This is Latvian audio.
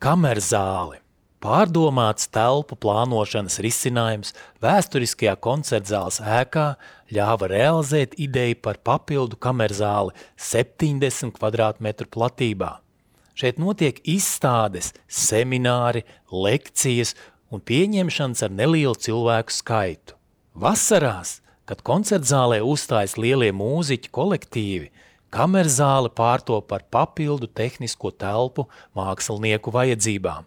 Kamerzāle. Pārdomāts telpu plānošanas risinājums vēsturiskajā koncertzāles ēkā ļāva realizēt ideju par papildu kamerzāli 70 kvadrātmetru platībā. Šeit notiek izstādes, semināri, lekcijas un pieņemšanas ar nelielu cilvēku skaitu. Vasarās, kad koncertzālē uzstājas lielie mūziķu kolektīvi, kamerzāle pārtop par papildu tehnisko telpu mākslinieku vajadzībām.